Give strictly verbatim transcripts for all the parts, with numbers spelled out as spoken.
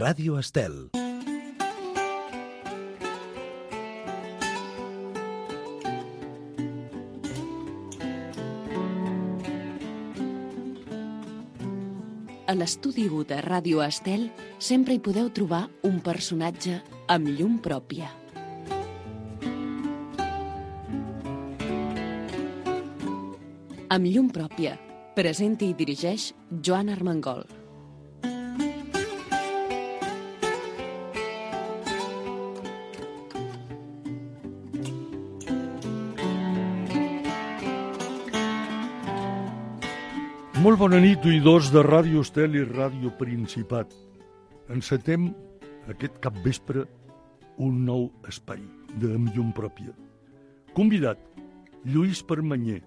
Ràdio Estel. A l'estudi u de Ràdio Estel sempre hi podeu trobar un personatge amb llum pròpia. Amb llum pròpia, presenta i dirigeix Joan Armengol. Molt bona nit, oïdors de Ràdio Estel i Ràdio Principat. Encetem aquest capvespre un nou espai de Amb llum pròpia. Convidat, Lluís Permanyer.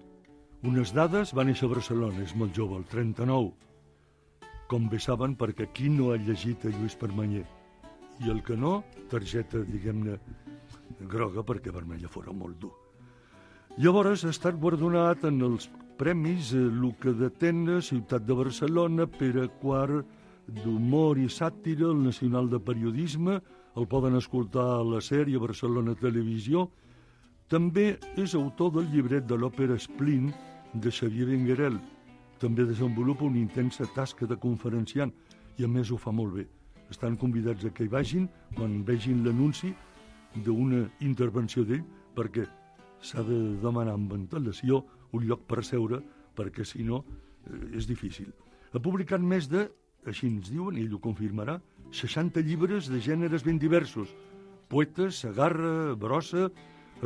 Unes dades, va néixer a Barcelona, és molt jove, el trenta-nou. Com bé saben, perquè qui no ha llegit a Lluís Permanyer? I el que no, targeta, diguem-ne, groga, perquè vermella fora molt dur. Llavors ha estat guardonat en els premis Luca d'Atenes, Ciutat de Barcelona, Pere quart d'Humor i Sàtira, el Nacional de Periodisme, el poden escoltar a la sèrie Barcelona Televisió. També és autor del llibret de l'òpera Splin de Xavier Benguerel. També desenvolupa una intensa tasca de conferenciant i a més ho fa molt bé. Estan convidats a que hi vagin quan vegin l'anunci d'una intervenció d'ell, perquè s'ha de demanar amb antelació un lloc per seure, perquè si no eh, és difícil. Ha publicat més de, així ens diuen, ell ho confirmarà, seixanta llibres de gèneres ben diversos. Poetes, Segarra, Brossa,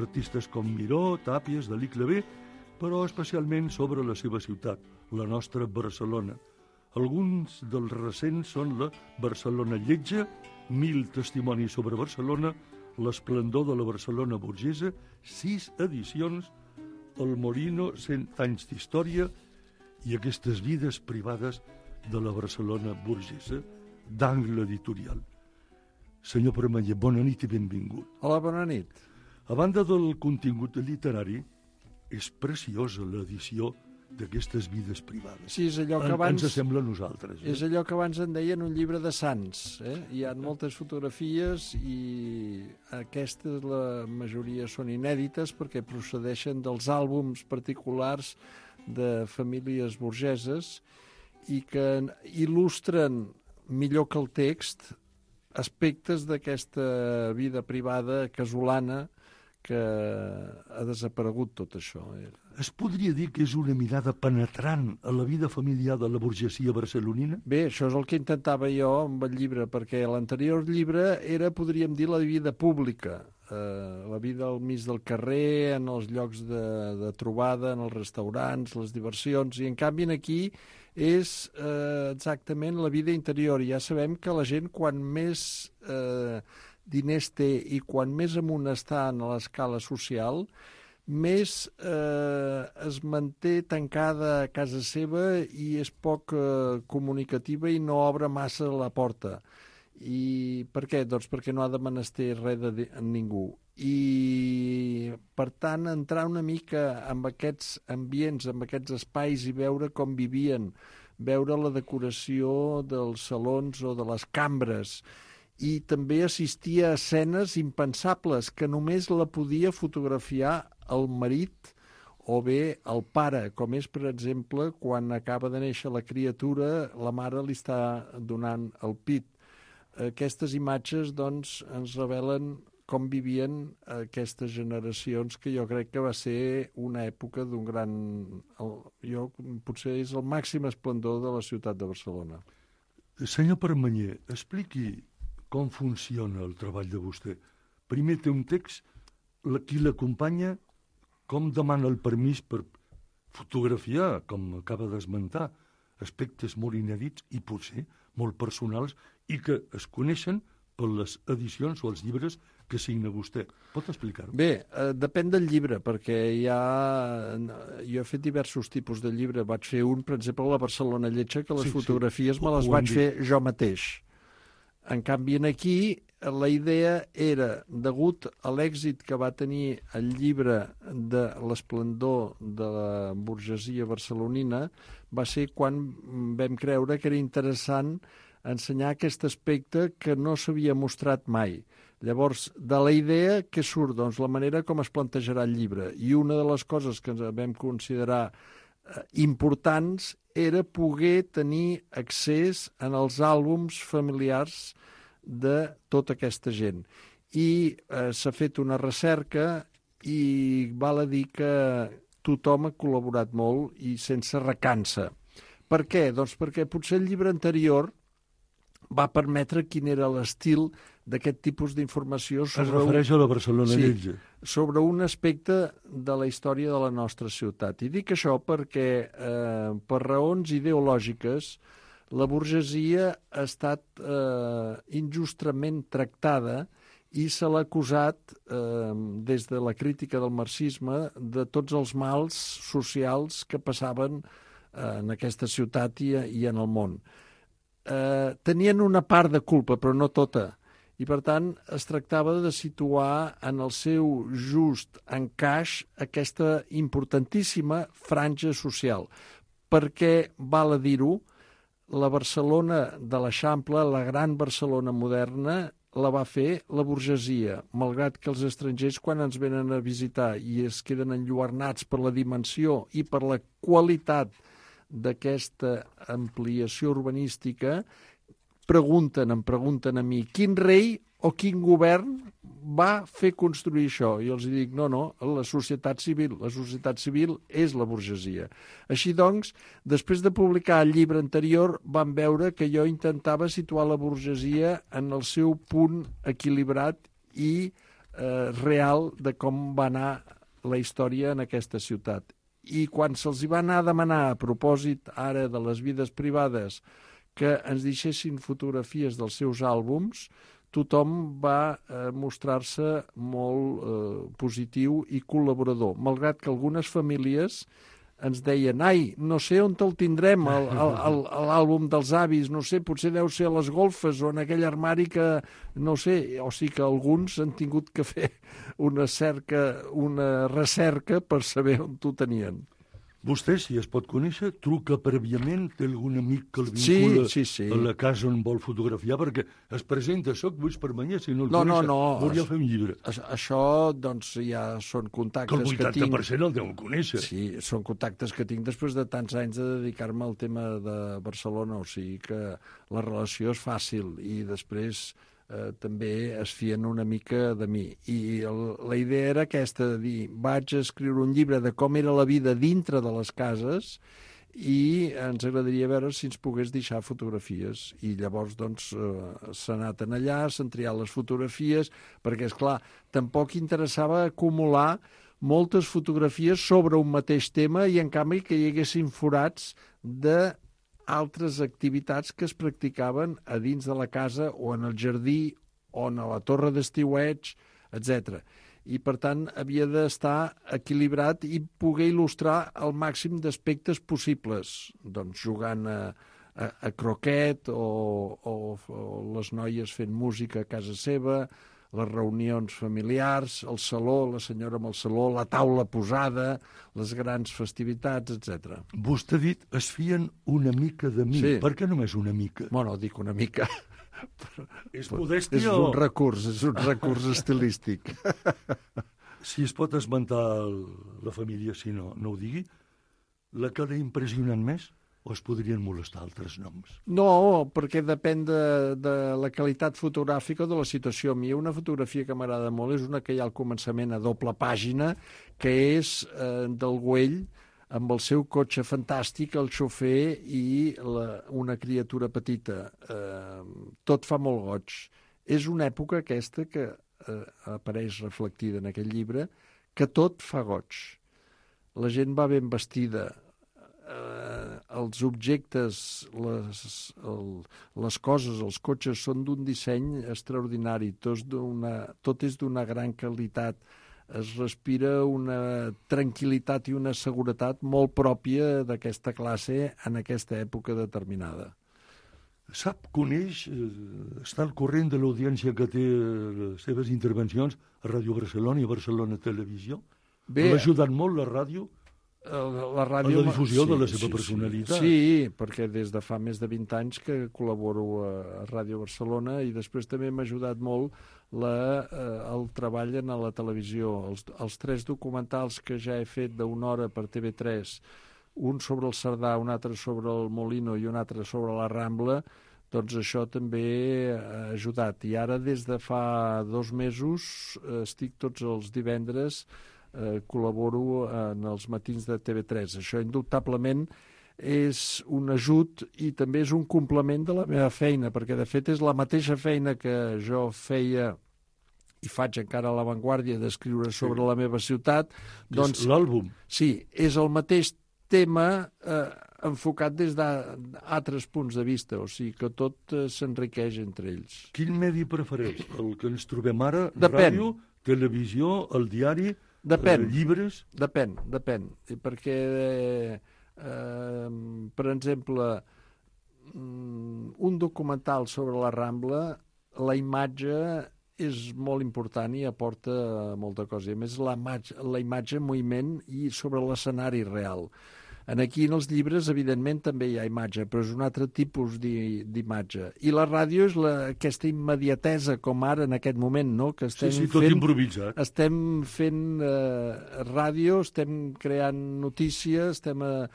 artistes com Miró, Tàpies, Dalí, Clavé, però especialment sobre la seva ciutat, la nostra Barcelona. Alguns dels recents són la Barcelona lletja, Mil testimonis sobre Barcelona, L'esplendor de la Barcelona burgesa, sis edicions, El Morino, cent anys d'història i aquestes vides privades de la Barcelona burgesa, d'Angle Editorial. Senyor Permanyer, bona nit i benvingut. Hola, bona nit. A banda del contingut literari, és preciosa l'edició d'aquestes vides privades. Sí, és allò que abans... Ens sembla a nosaltres. Eh? És allò que abans en deien un llibre de sants. Eh? Hi ha moltes fotografies i aquestes, la majoria són inèdites perquè procedeixen dels àlbums particulars de famílies burgeses i que il·lustren millor que el text aspectes d'aquesta vida privada casolana que ha desaparegut tot això. Es podria dir que és una mirada penetrant a la vida familiar de la burgesia barcelonina? Bé, això és el que intentava jo amb el llibre, perquè l'anterior llibre era, podríem dir, la vida pública, eh, la vida al mig del carrer, en els llocs de, de trobada, en els restaurants, les diversions, i en canvi aquí és eh, exactament la vida interior. Ja sabem que la gent, quan més eh, diners té i quan més amunt està en l'escala social, més eh, es manté tancada a casa seva i és poc eh, comunicativa i no obre massa la porta. I per què? Doncs perquè no ha de menester res de ningú. I, per tant, entrar una mica en aquests ambients, en aquests espais i veure com vivien, veure la decoració dels salons o de les cambres, i també assistia a escenes impensables que només la podia fotografiar el marit o bé el pare, com és, per exemple, quan acaba de néixer la criatura, la mare li està donant el pit. Aquestes imatges, doncs, ens revelen com vivien aquestes generacions, que jo crec que va ser una època d'un gran... Jo, potser és el màxim esplendor de la ciutat de Barcelona. Senyor Permanyer, expliqui com funciona el treball de vostè. Primer té un text, qui l'acompanya, com demana el permís per fotografiar, com acaba d'esmentar, aspectes molt inèdits i potser molt personals i que es coneixen per les edicions o els llibres que signa vostè. Pot explicar-ho? Bé, eh, depèn del llibre, perquè hi ha... Jo he fet diversos tipus de llibre. Vaig fer un, per exemple, a la Barcelona lletja, que les sí, fotografies sí. me les vaig fer jo mateix. En canvi, aquí la idea era, degut a l'èxit que va tenir el llibre de l'esplendor de la burgesia barcelonina, va ser quan vam creure que era interessant ensenyar aquest aspecte que no s'havia mostrat mai. Llavors, de la idea que surt, doncs, la manera com es plantejarà el llibre. I una de les coses que ens vam considerar eh, importants era poder tenir accés en els àlbums familiars de tota aquesta gent. I eh, s'ha fet una recerca i val a dir que tothom ha col·laborat molt i sense recança. Per què? Doncs perquè potser el llibre anterior va permetre quin era l'estil d'aquest tipus d'informació sobre, es refereix a la Barcelona sí, Lletja. sobre un aspecte de la història de la nostra ciutat. I dic això perquè, eh, per raons ideològiques, la burgesia ha estat eh, injustament tractada i se l'ha acusat, eh, des de la crítica del marxisme, de tots els mals socials que passaven eh, en aquesta ciutat i, i en el món. Eh, tenien una part de culpa, però no tota. I, per tant, es tractava de situar en el seu just encaix aquesta importantíssima franja social. Perquè, val a dir-ho, la Barcelona de l'Eixample, la gran Barcelona moderna, la va fer la burgesia, malgrat que els estrangers, quan ens venen a visitar i es queden enlluernats per la dimensió i per la qualitat d'aquesta ampliació urbanística, pregunten, em pregunten a mi, quin rei o quin govern va fer construir això? I els dic, no, no, la societat civil. La societat civil és la burgesia. Així doncs, després de publicar el llibre anterior, van veure que jo intentava situar la burgesia en el seu punt equilibrat i eh, real de com va anar la història en aquesta ciutat. I quan se'ls va anar a demanar, a propòsit ara de les vides privades, que ens deixessin fotografies dels seus àlbums, tothom va eh, mostrar-se molt eh, positiu i col·laborador, malgrat que algunes famílies ens deien, ai, no sé on te'l tindrem, l'àlbum dels avis, no sé, potser deu ser a les golfes o en aquell armari que, no sé, o sigui que alguns han tingut que fer una cerca, una recerca per saber on t'ho tenien. Vostè, si es pot conèixer, truca prèviament, té algun amic que el vincula sí, sí, sí. a la casa on vol fotografiar, perquè es presenta, soc Lluís Permanyer, si no el no, coneix, no, no, volia fer un llibre. Això, doncs, ja són contactes que el vuitanta per cent que tinc. el deu conèixer. Sí, són contactes que tinc després de tants anys de dedicar-me al tema de Barcelona, o sigui que la relació és fàcil i després eh, també es fien una mica de mi. I el, la idea era aquesta, de dir, vaig a escriure un llibre de com era la vida dintre de les cases i ens agradaria veure si ens pogués deixar fotografies. I llavors, doncs, eh, s'ha anat en allà, s'han triat les fotografies, perquè, és clar, tampoc interessava acumular moltes fotografies sobre un mateix tema i, en canvi, que hi haguessin forats de altres activitats que es practicaven a dins de la casa o en el jardí o en la torre d'estiueig, etcètera. I, per tant, havia d'estar equilibrat i poder il·lustrar el màxim d'aspectes possibles, doncs jugant a, a, a croquet o, o, o les noies fent música a casa seva, les reunions familiars, el saló, la senyora amb el saló, la taula posada, les grans festivitats, etcètera. Vostè ha dit, es fien una mica de mi. Sí. Per què només una mica? Bueno, dic una mica. És modèstia és o... un recurs, és un recurs estilístic. Si es pot esmentar la família, si no, no ho digui, la que l'ha impressionat més? O es podrien molestar altres noms? No, perquè depèn de, de la qualitat fotogràfica o de la situació. A mi una fotografia que m'agrada molt és una que hi ha al començament a doble pàgina, que és eh, del Güell, amb el seu cotxe fantàstic, el xofer i la, una criatura petita. Eh, tot fa molt goig. És una època aquesta que eh, apareix reflectida en aquest llibre, que tot fa goig. La gent va ben vestida, eh, els objectes, les, el, les coses, els cotxes són d'un disseny extraordinari, tot, tot és d'una gran qualitat, es respira una tranquil·litat i una seguretat molt pròpia d'aquesta classe en aquesta època determinada. Sap, coneix, està al corrent de l'audiència que té les seves intervencions a Ràdio Barcelona i a Barcelona Televisió? Bé, l'ha ajudat molt la ràdio La ràdio... A la difusió sí, de la seva sí, personalitat. Sí, sí, perquè des de fa més de vint anys que col·laboro a, a Ràdio Barcelona i després també m'ha ajudat molt la, eh, el treball en la televisió. Els, els tres documentals que ja he fet d'una hora per T V tres, un sobre el Cerdà, un altre sobre el Molino i un altre sobre la Rambla, doncs això també ha ajudat. I ara, des de fa dos mesos, estic tots els divendres Eh, col·laboro en els matins de T V tres. Això, indubtablement, és un ajut i també és un complement de la meva feina, perquè, de fet, és la mateixa feina que jo feia i faig encara a l'avantguàrdia d'escriure sobre sí. la meva ciutat. Doncs, l'àlbum. Sí, és el mateix tema eh, enfocat des d'altres punts de vista, o sigui que tot eh, s'enriqueix entre ells. Quin medi prefereix? El que ens trobem ara? Depèn. Ràdio, televisió, el diari... Depèn, eh, llibres? Depèn, depèn, perquè, eh, eh, per exemple, un documental sobre la Rambla, la imatge és molt important i aporta molta cosa. A més, la, la imatge en moviment i sobre l'escenari real. En aquí, en els llibres, evidentment, també hi ha imatge, però és un altre tipus d'imatge. I la ràdio és la, aquesta immediatesa, com ara, en aquest moment, no? Que estem sí, sí, tot fent, improvisat. Estem fent eh, ràdio, estem creant notícies, estem eh,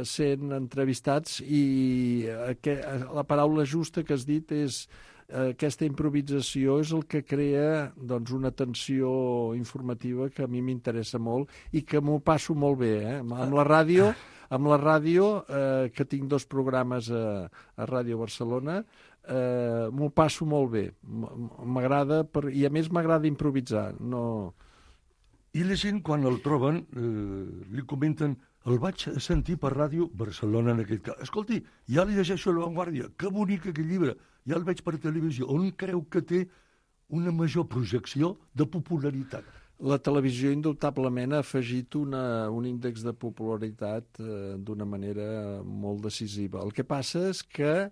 sent entrevistats i eh, que, la paraula justa que has dit és eh, aquesta improvisació és el que crea doncs, una tensió informativa que a mi m'interessa molt i que m'ho passo molt bé. Eh? Amb la ràdio... Amb la ràdio, eh, que tinc dos programes a, a Ràdio Barcelona, eh, m'ho passo molt bé. M'agrada, per... i a més m'agrada improvisar. No... I la gent, quan el troben, eh, li comenten, el vaig sentir per Ràdio Barcelona en aquest cas. Escolti, ja li llegeixo a l'avantguàrdia, que bonic aquest llibre, ja el veig per televisió. On creu que té una major projecció de popularitat? La televisió, indubtablement, ha afegit una, un índex de popularitat eh, d'una manera molt decisiva. El que passa és que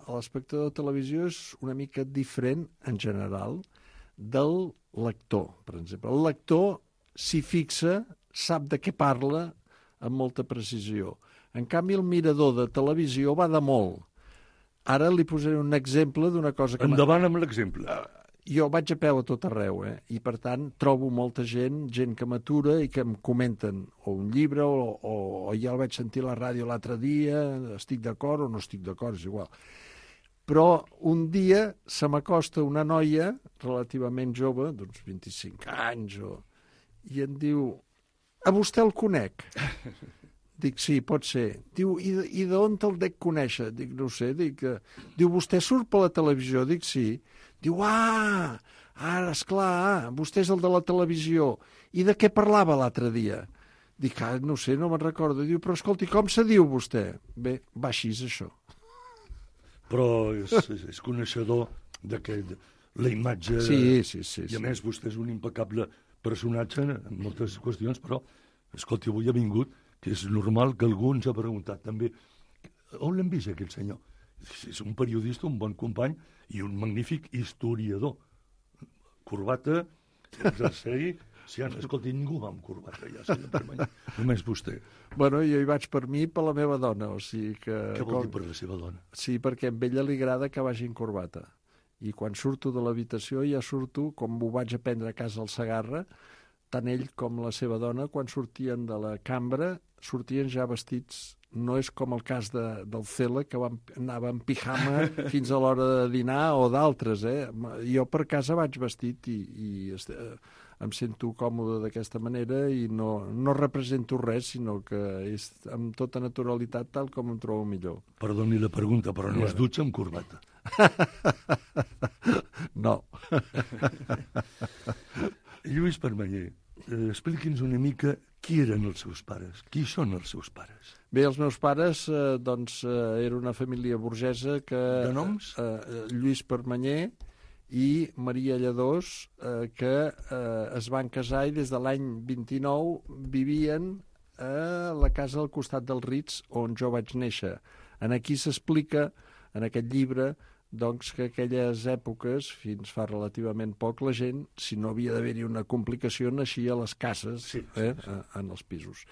l'espectador de televisió és una mica diferent, en general, del lector, per exemple. El lector s'hi fixa, sap de què parla, amb molta precisió. En canvi, el mirador de televisió va de molt. Ara li posaré un exemple d'una cosa que... Endavant amb l'exemple. Jo vaig a peu a tot arreu, eh? I per tant trobo molta gent, gent que m'atura i que em comenten o un llibre o, o, o ja el vaig sentir a la ràdio l'altre dia, estic d'acord o no estic d'acord, és igual. Però un dia se m'acosta una noia relativament jove, d'uns vint-i-cinc anys, o... i em diu, a vostè el conec? Dic, sí, pot ser. Diu, i, i d'on te'l dec conèixer? Dic, no sé. Dic, diu, vostè surt per la televisió? Dic, sí. Diu, ah, ara, esclar, vostè és el de la televisió. I de què parlava l'altre dia? Dic, ah, no sé, no me'n recordo. Diu, però escolti, com se diu vostè? Bé, va així, això. Però és, és, és coneixedor de que la imatge... Sí, sí, sí. I a més, vostè és un impecable personatge en moltes qüestions, però, escolti, avui ha vingut, que és normal que algú ens ha preguntat també, on l'hem vist, aquest senyor? És un periodista, un bon company i un magnífic historiador. Corbata, jersei, si ja, escolti, ningú va amb corbata ja, senyor Permany, només vostè. Bueno, jo hi vaig per mi i per la meva dona, o sigui que... Què vol dir per la seva dona? Sí, perquè a ella li agrada que vagi en corbata. I quan surto de l'habitació ja surto, com ho vaig aprendre a casa al Segarra, tant ell com la seva dona, quan sortien de la cambra, sortien ja vestits. No és com el cas de, del Cela, que van, anava en pijama fins a l'hora de dinar, o d'altres. Eh? Jo per casa vaig vestit i, i este, em sento còmode d'aquesta manera i no, no represento res, sinó que és amb tota naturalitat tal com em trobo millor. Perdoni la pregunta, però no es dutxa amb corbata. No. Lluís Permanyer, eh, expliqui'ns una mica qui eren els seus pares, qui són els seus pares. Bé, els meus pares, eh, doncs, eh, era una família burgesa que... De noms? Eh, Lluís Permanyer i Maria Lladós, eh, que eh, es van casar i des de l'any vint-i-nou vivien a la casa al costat dels Rits, on jo vaig néixer. En aquí s'explica, en aquest llibre, doncs que aquelles èpoques, fins fa relativament poc, la gent, si no havia d'haver-hi una complicació, naixia a les cases, sí, sí, eh, sí. en els pisos.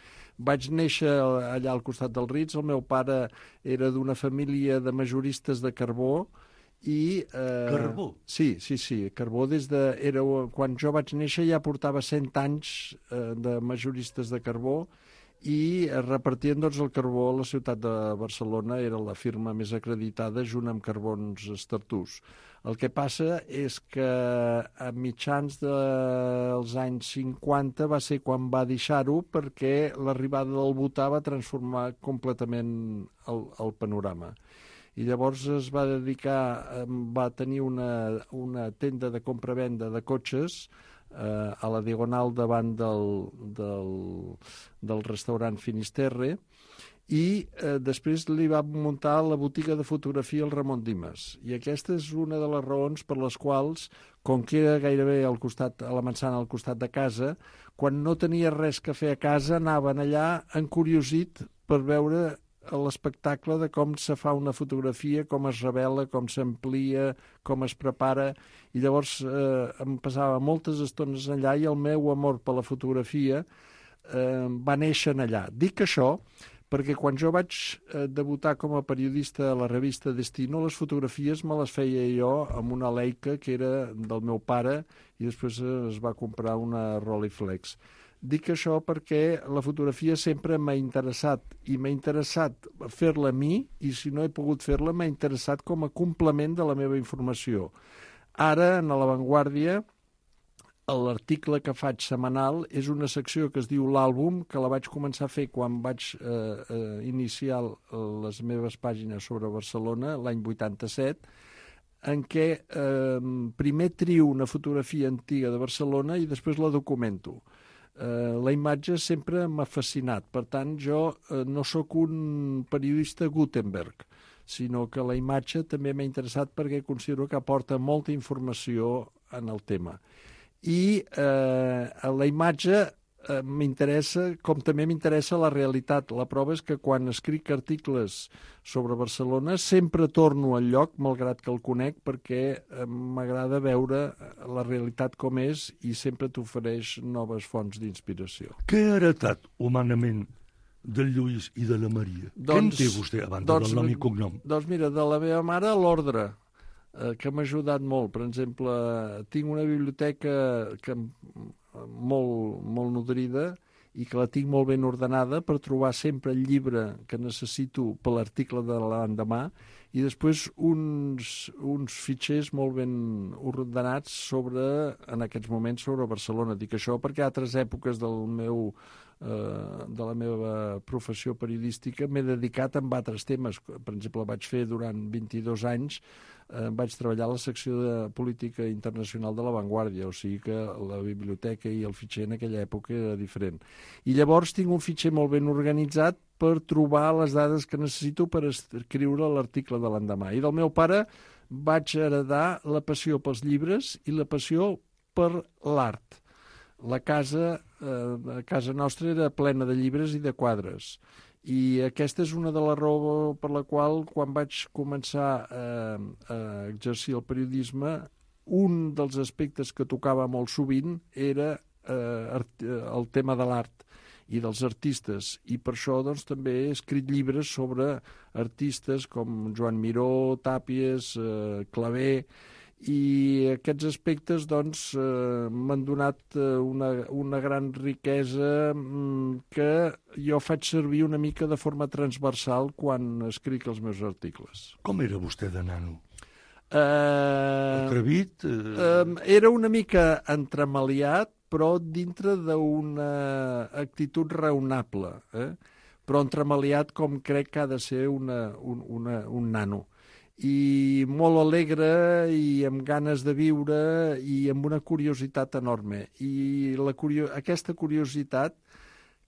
Vaig néixer allà al costat del Ritz, el meu pare era d'una família de majoristes de carbó, i... Eh, Carbó? Sí, sí, sí, carbó des de... Era, quan jo vaig néixer ja portava cent anys eh, de majoristes de carbó, i es repartien doncs, el carbó a la ciutat de Barcelona, era la firma més acreditada junt amb Carbons Estartús. El que passa és que a mitjans dels anys cinquanta va ser quan va deixar-ho, perquè l'arribada del butà va transformar completament el, el panorama. I llavors es va dedicar, va tenir una, una tenda de compra-venda de cotxes eh, a la diagonal davant del, del, del restaurant Finisterre, i eh, després li va muntar la botiga de fotografia al Ramon Dimas. I aquesta és una de les raons per les quals, com que era gairebé al costat, a la Mansana, al costat de casa, quan no tenia res que fer a casa, anaven allà encuriosit per veure l'espectacle de com se fa una fotografia, com es revela, com s'amplia, com es prepara, i llavors eh, em passava moltes estones allà i el meu amor per la fotografia eh, va néixer allà. Dic això perquè quan jo vaig eh, debutar com a periodista a la revista Destino, les fotografies me les feia jo amb una Leica que era del meu pare i després es va comprar una Rolleiflex. Dic això perquè la fotografia sempre m'ha interessat i m'ha interessat fer-la a mi, i si no he pogut fer-la m'ha interessat com a complement de la meva informació. Ara, en La Vanguardia, l'article que faig setmanal és una secció que es diu l'àlbum, que la vaig començar a fer quan vaig eh, eh, iniciar les meves pàgines sobre Barcelona, l'any vuitanta-set, en què eh, primer trio una fotografia antiga de Barcelona i després la documento. Uh, la imatge sempre m'ha fascinat, per tant jo uh, no sóc un periodista Gutenberg, sinó que la imatge també m'ha interessat perquè considero que aporta molta informació en el tema. I uh, la imatge uh, m'interessa, com també m'interessa la realitat. La prova és que quan escric articles sobre Barcelona sempre torno al lloc, malgrat que el conec, perquè uh, m'agrada veure la realitat com és i sempre t'ofereix noves fonts d'inspiració. Què ha heretat humanament del Lluís i de la Maria? Doncs, Què en té vostè a banda doncs, del nom i cognom? Doncs mira, de la meva mare l'ordre, eh, que m'ha ajudat molt. Per exemple, tinc una biblioteca que, molt, molt nodrida i que la tinc molt ben ordenada per trobar sempre el llibre que necessito per l'article de l'endemà, i després uns, uns fitxers molt ben ordenats sobre, en aquests moments, sobre Barcelona. Dic això perquè a altres èpoques del meu, eh, de la meva professió periodística m'he dedicat a altres temes. Per exemple, vaig fer durant vint-i-dos anys, eh, vaig treballar a la secció de política internacional de La Vanguardia, o sigui que la biblioteca i el fitxer en aquella època era diferent. I llavors tinc un fitxer molt ben organitzat per trobar les dades que necessito per escriure l'article de l'endemà. I del meu pare vaig heredar la passió pels llibres i la passió per l'art. La casa, eh, a casa nostra era plena de llibres i de quadres. I aquesta és una de les raons per la qual, quan vaig començar eh, a exercir el periodisme, un dels aspectes que tocava molt sovint era eh, el tema de l'art i dels artistes, i per això doncs, també he escrit llibres sobre artistes com Joan Miró, Tàpies, eh, Clavé, i aquests aspectes doncs, eh, m'han donat una, una gran riquesa que jo faig servir una mica de forma transversal quan escric els meus articles. Com era vostè de nano? Eh, Atrevit? Eh... Eh, era una mica entremaliat, però dintre d'una actitud raonable, eh? Però entremaliat com crec que ha de ser una, un, una, un nano. I molt alegre i amb ganes de viure i amb una curiositat enorme. I la curio... aquesta curiositat,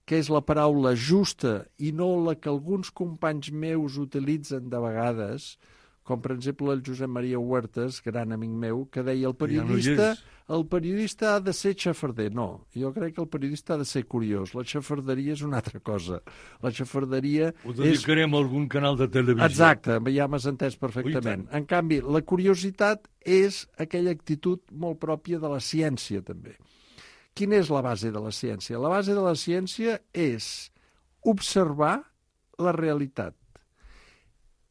que és la paraula justa i no la que alguns companys meus utilitzen de vegades, com per exemple el Josep Maria Huertas, gran amic meu, que deia el Que ja no hi periodista, és. el periodista ha de ser xafarder. No, jo crec que el periodista ha de ser curiós. La xafarderia és una altra cosa. La xafarderia Ho és... dedicarem a algun canal de televisió. Exacte, ja m'has entès perfectament. En canvi, la curiositat és aquella actitud molt pròpia de la ciència, també. Quina és la base de la ciència? La base de la ciència és observar la realitat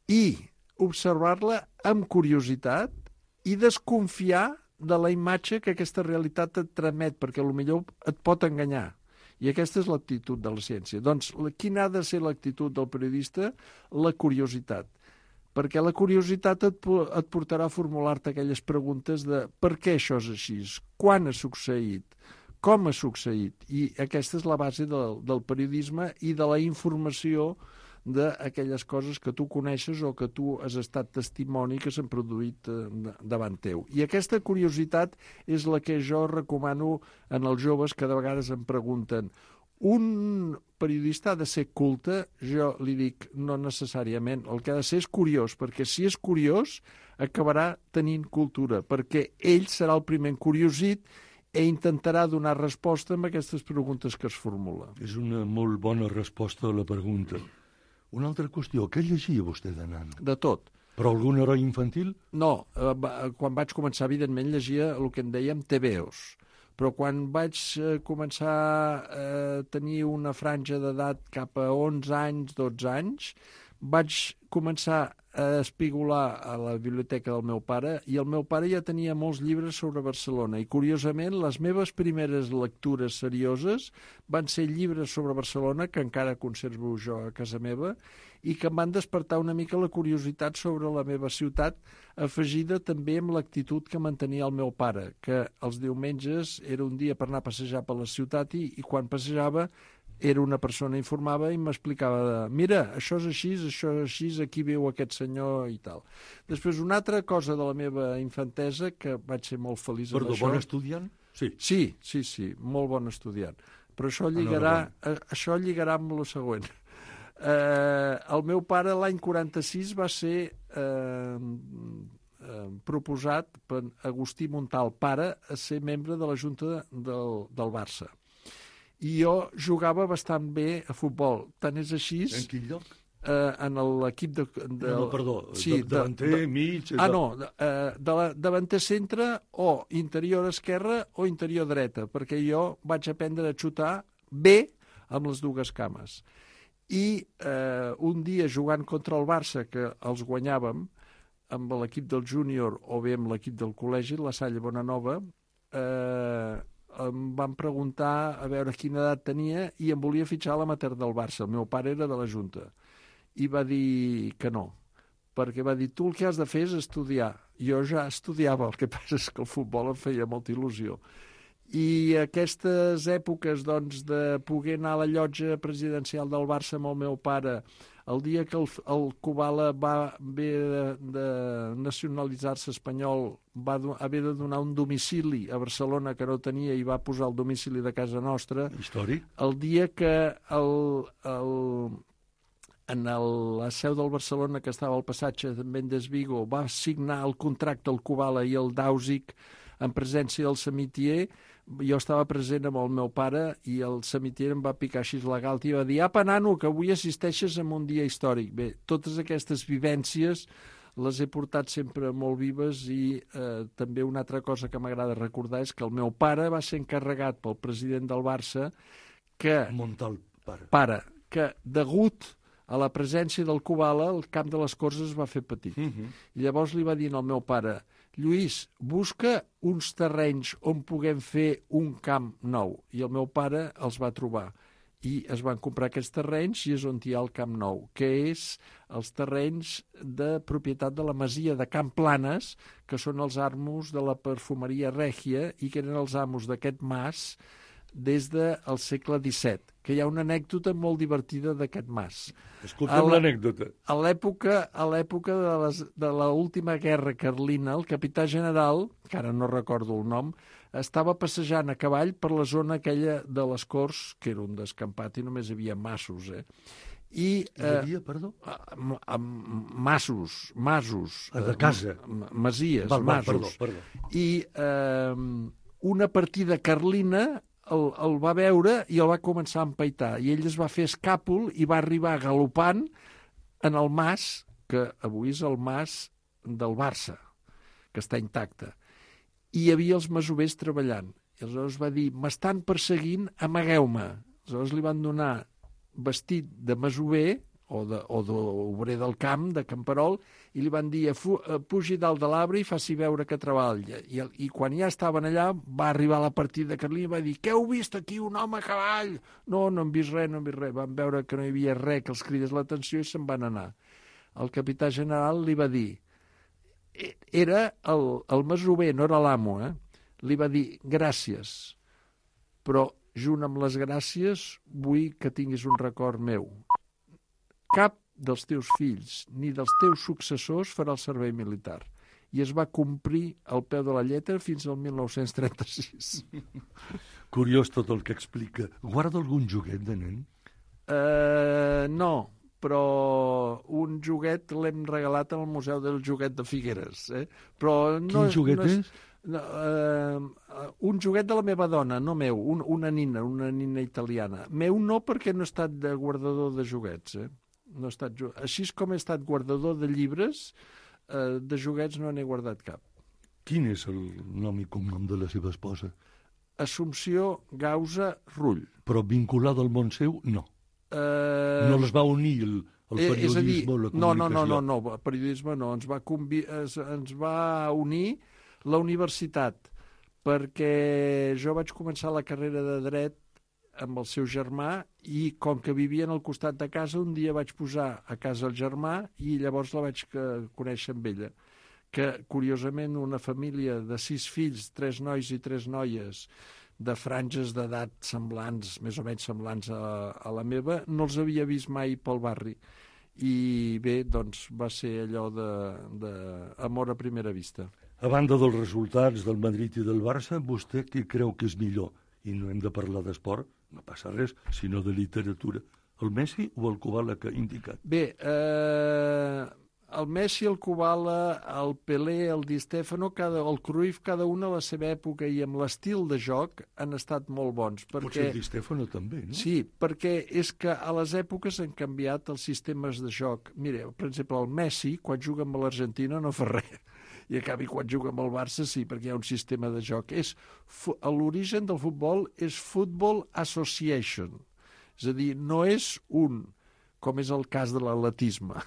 i observar-la amb curiositat i desconfiar de la imatge que aquesta realitat et tramet, perquè potser et pot enganyar. I aquesta és l'actitud de la ciència. Doncs, quina ha de ser l'actitud del periodista? La curiositat. Perquè la curiositat et, et portarà a formular-te aquelles preguntes de per què això és així, quan ha succeït, com ha succeït. I aquesta és la base del, del periodisme i de la informació d'aquelles coses que tu coneixes o que tu has estat testimoni que s'han produït davant teu. I aquesta curiositat és la que jo recomano en els joves que de vegades em pregunten: un periodista ha de ser culte? Jo li dic, no necessàriament. El que ha de ser és curiós, perquè si és curiós acabarà tenint cultura, perquè ell serà el primer encuriosit i intentarà donar resposta a aquestes preguntes que es formula. És una molt bona resposta a la pregunta. Una altra qüestió, què llegia vostè de nan? De tot. Però algun heroi infantil? No, eh, quan vaig començar, evidentment, llegia el que en dèiem tebeos. Però quan vaig eh, començar a tenir una franja d'edat cap a onze anys, dotze anys, vaig començar a espigolar a la biblioteca del meu pare i el meu pare ja tenia molts llibres sobre Barcelona i, curiosament, les meves primeres lectures serioses van ser llibres sobre Barcelona que encara conservo jo a casa meva i que em van despertar una mica la curiositat sobre la meva ciutat, afegida també amb l'actitud que mantenia el meu pare, que els diumenges era un dia per anar a passejar per la ciutat i, i quan passejava era una persona informava i m'explicava, mira, això és així, això és així, aquí viu aquest senyor i tal. Després, una altra cosa de la meva infantesa, que vaig ser molt feliç Perdó, amb això... bon estudiant? Sí. Sí, sí, sí, molt bon estudiant. Però això lligarà, eh, això lligarà amb el següent. Eh, el meu pare l'any quaranta-sis va ser eh, eh, proposat per Agustí Montal, pare, a ser membre de la Junta del, del Barça. I jo jugava bastant bé a futbol. Tant és així... En quin lloc? Eh, en l'equip de, de... No, no, perdó, sí, de, davanter, de, mig... Ah, no, de, de la, davanter centre o interior esquerra o interior dreta, perquè jo vaig aprendre a xutar bé amb les dues cames. I eh, un dia jugant contra el Barça, que els guanyàvem, amb l'equip del júnior o bé amb l'equip del col·legi, la Salle Bonanova, eh, em van preguntar a veure quina edat tenia i em volia fitxar a l'amateur del Barça. El meu pare era de la Junta. I va dir que no, perquè va dir, tu el que has de fer és estudiar. Jo ja estudiava, el que passa és que el futbol em feia molta il·lusió. I aquestes èpoques, doncs, de poder anar a la llotja presidencial del Barça amb el meu pare, el dia que el, el Kubala va haver de, de nacionalitzar-se espanyol, va do, haver de donar un domicili a Barcelona que no tenia i va posar el domicili de casa nostra. Històric. El dia que el, el, en el, la seu del Barcelona, que estava al passatge de Mendes Vigo, va signar el contracte el Kubala i el Dausic en presència del Samitier. Jo estava present amb el meu pare i el Samitier em va picar així la galta i va dir, apa, nano, que avui assisteixes a un dia històric. Bé, totes aquestes vivències les he portat sempre molt vives i eh, també una altra cosa que m'agrada recordar és que el meu pare va ser encarregat pel president del Barça que... Montal, pare. Pare, que degut a la presència del Kubala el camp de les Corts es va fer petit. Uh -huh. I llavors li va dir al meu pare, Lluís, busca uns terrenys on puguem fer un camp nou. I el meu pare els va trobar. I es van comprar aquests terrenys i és on hi ha el Camp Nou, que és els terrenys de propietat de la masia de Camp Planes, que són els amos de la perfumeria Règia i que eren els amos d'aquest mas des del segle disset, que hi ha una anècdota molt divertida d'aquest mas. Escolta'm l'anècdota. A l'època a l'època de, les, de l'última guerra carlina, el capità general, que ara no recordo el nom, estava passejant a cavall per la zona aquella de les Corts, que era un descampat i només hi havia massos, eh? I hi havia, eh, perdó? Masos, masos. De casa. Masies, val, val, masos. Perdó, perdó. I eh, una partida carlina el, el va veure i el va començar a empaitar. I ell es va fer escàpol i va arribar galopant en el mas, que avui és el mas del Barça, que està intacte. I hi havia els masovers treballant. I aleshores va dir, m'estan perseguint, amagueu-me. Aleshores li van donar vestit de masover o d'obrer del camp, de camperol, i li van dir, pugi dalt de l'arbre i faci veure que treballa. I, I quan ja estaven allà, va arribar la partida carlina i va dir, què heu vist aquí, un home a cavall? No, no hem vist res, no hem vist res. Van veure que no hi havia res que els cridés l'atenció i se'n van anar. El capità general li va dir, era el, el masover, no era l'amo, eh? Li va dir, gràcies, però junt amb les gràcies vull que tinguis un record meu. Cap dels teus fills ni dels teus successors farà el servei militar. I es va complir al peu de la lletra fins al mil nou-cents trenta-sis. Curiós tot el que explica. Guarda algun joguet de nen? Uh, no, però un joguet l'hem regalat al Museu del Joguet de Figueres. Eh? Però no, Quin joguet no és? és? No, uh, un joguet de la meva dona, no meu, un, una nina, una nina italiana. Meu no, perquè no he estat de guardador de joguets. Eh? No he estat, així com he estat guardador de llibres, uh, de joguets no n'he guardat cap. Quin és el nom i cognom de la seva esposa? Assumpció Gausa Rull. Però vinculada al món seu, no. Uh, no les va unir el, el periodisme dir, o la comunicació? No, no, no, no, no, el periodisme no. Ens va, convi es, ens va unir la universitat, perquè jo vaig començar la carrera de dret amb el seu germà i com que vivien al costat de casa, un dia vaig posar a casa el germà i llavors la vaig conèixer amb ella. Que, curiosament, una família de sis fills, tres nois i tres noies, de franges d'edat semblants, més o menys semblants a, a la meva, no els havia vist mai pel barri. I bé, doncs, va ser allò d'amor a primera vista. A banda dels resultats del Madrid i del Barça, vostè què creu que és millor? I no hem de parlar d'esport, no passa res, sinó de literatura. El Messi o el Kubala que ha indicat? Bé, eh, el Messi, el Kubala, el Pelé, el Di Stefano, cada, el Cruyff, cada una a la seva època i amb l'estil de joc han estat molt bons. Perquè, potser el Di Stefano també, no? Sí, perquè és que a les èpoques han canviat els sistemes de joc. Mire, per exemple, el Messi, quan juga amb l'Argentina, no fa res. I a canvi, quan juga amb el Barça, sí, perquè hi ha un sistema de joc. És, l'origen del futbol és Football Association. És a dir, no és un, com és el cas de l'atletisme,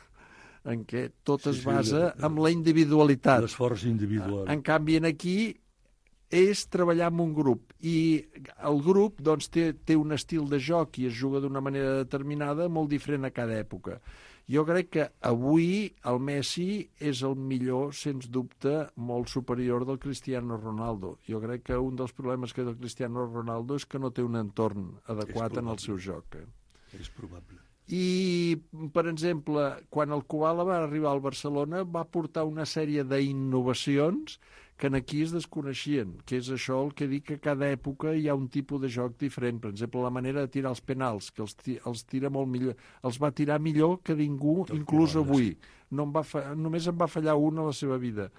en què tot sí, es basa sí, en la individualitat. L'esforç individual. En canvi, aquí és treballar en un grup. I el grup doncs, té, té un estil de joc i es juga d'una manera determinada molt diferent a cada època. Jo crec que avui el Messi és el millor, sens dubte, molt superior del Cristiano Ronaldo. Jo crec que un dels problemes que té el Cristiano Ronaldo és que no té un entorn adequat en el seu joc. Eh? És probable. I, per exemple, quan el Kubala va arribar al Barcelona va portar una sèrie d'innovacions que aquí es desconeixien, que és això el que dic que cada època hi ha un tipus de joc diferent. Per exemple, la manera de tirar els penals, que els, els tira molt millor, els va tirar millor que ningú, el inclús avui. No em va fa, només em va fallar una a la seva vida.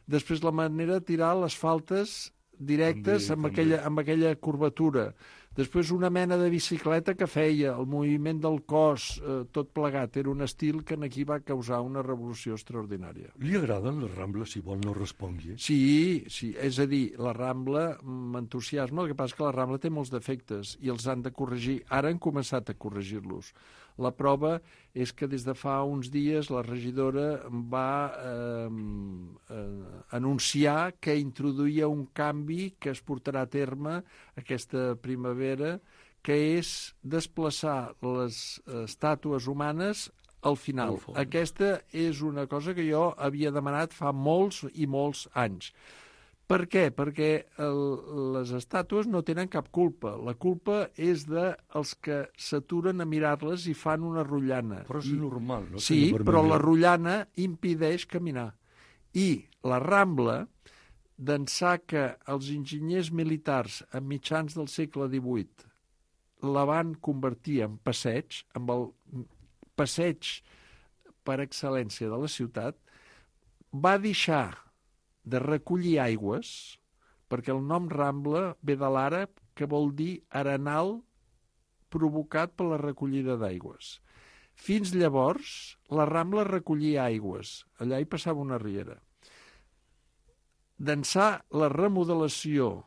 Després, la manera de tirar les faltes directes també, amb, també. Aquella, amb aquella curvatura. Després una mena de bicicleta que feia, el moviment del cos, eh, tot plegat. Era un estil que aquí va causar una revolució extraordinària. Li agraden les Rambles, si vol no respongui? Sí, sí, és a dir, la Rambla m'entusiasma, el que passa és que la Rambla té molts defectes i els han de corregir. Ara han començat a corregir-los. La prova és que des de fa uns dies la regidora va eh, eh, anunciar que introduïa un canvi que es portarà a terme aquesta primavera, que és desplaçar les estàtues humanes al final. Aquesta és una cosa que jo havia demanat fa molts i molts anys. Per què? Perquè el, les estàtues no tenen cap culpa. La culpa és dels que s'aturen a mirar-les i fan una rotllana. Però és I, normal, no? Sí, però la rotllana impedeix caminar. I la Rambla, d'ençà que els enginyers militars a mitjans del segle divuit la van convertir en passeig, amb el passeig per excel·lència de la ciutat, va deixar de recollir aigües, perquè el nom Rambla ve de l'àrab, que vol dir arenal provocat per la recollida d'aigües. Fins llavors, la Rambla recollia aigües. Allà hi passava una riera. D'ençà la remodelació